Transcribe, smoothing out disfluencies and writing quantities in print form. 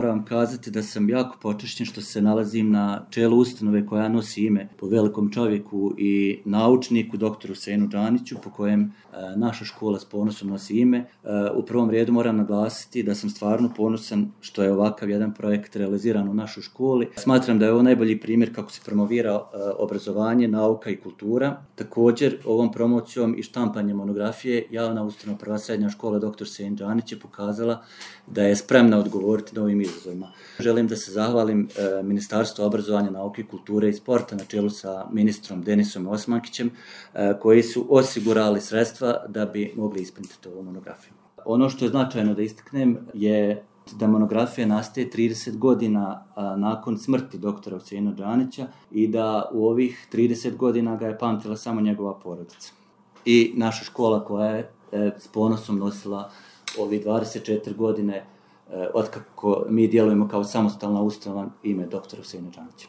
Moram kazati da sam jako počašćen što se nalazim na čelu ustanove koja nosi ime po velikom čovjeku i naučniku, doktoru Husseinu Džaniću, po kojem naša škola s ponosom nosi ime. U prvom redu moram naglasiti da sam stvarno ponosan što je ovakav jedan projekt realiziran u našoj školi. Smatram da je ovo najbolji primjer kako se promovira obrazovanje, nauka i kultura. Također, ovom promocijom i štampanjem monografije javna ustanova Prva srednja škola dr. Husein Džanić je pokazala da je spremna odgovoriti novim izazovima. Želim da se zahvalim Ministarstvu obrazovanja, nauke i kulture i sporta na čelu sa ministrom Denisom Osmankićem, koji su osigurali sredstva da bi mogli ispuniti ovu monografiju. Ono što je značajno da istaknem je da monografija nastaje 30 godina nakon smrti doktora Huseina Džanića i da u ovih 30 godina ga je pamtila samo njegova porodica. I naša škola koja je s ponosom nosila ovih 24 godine otkako mi djelujemo kao samostalna ustanova ime doktora Huseina Džanića.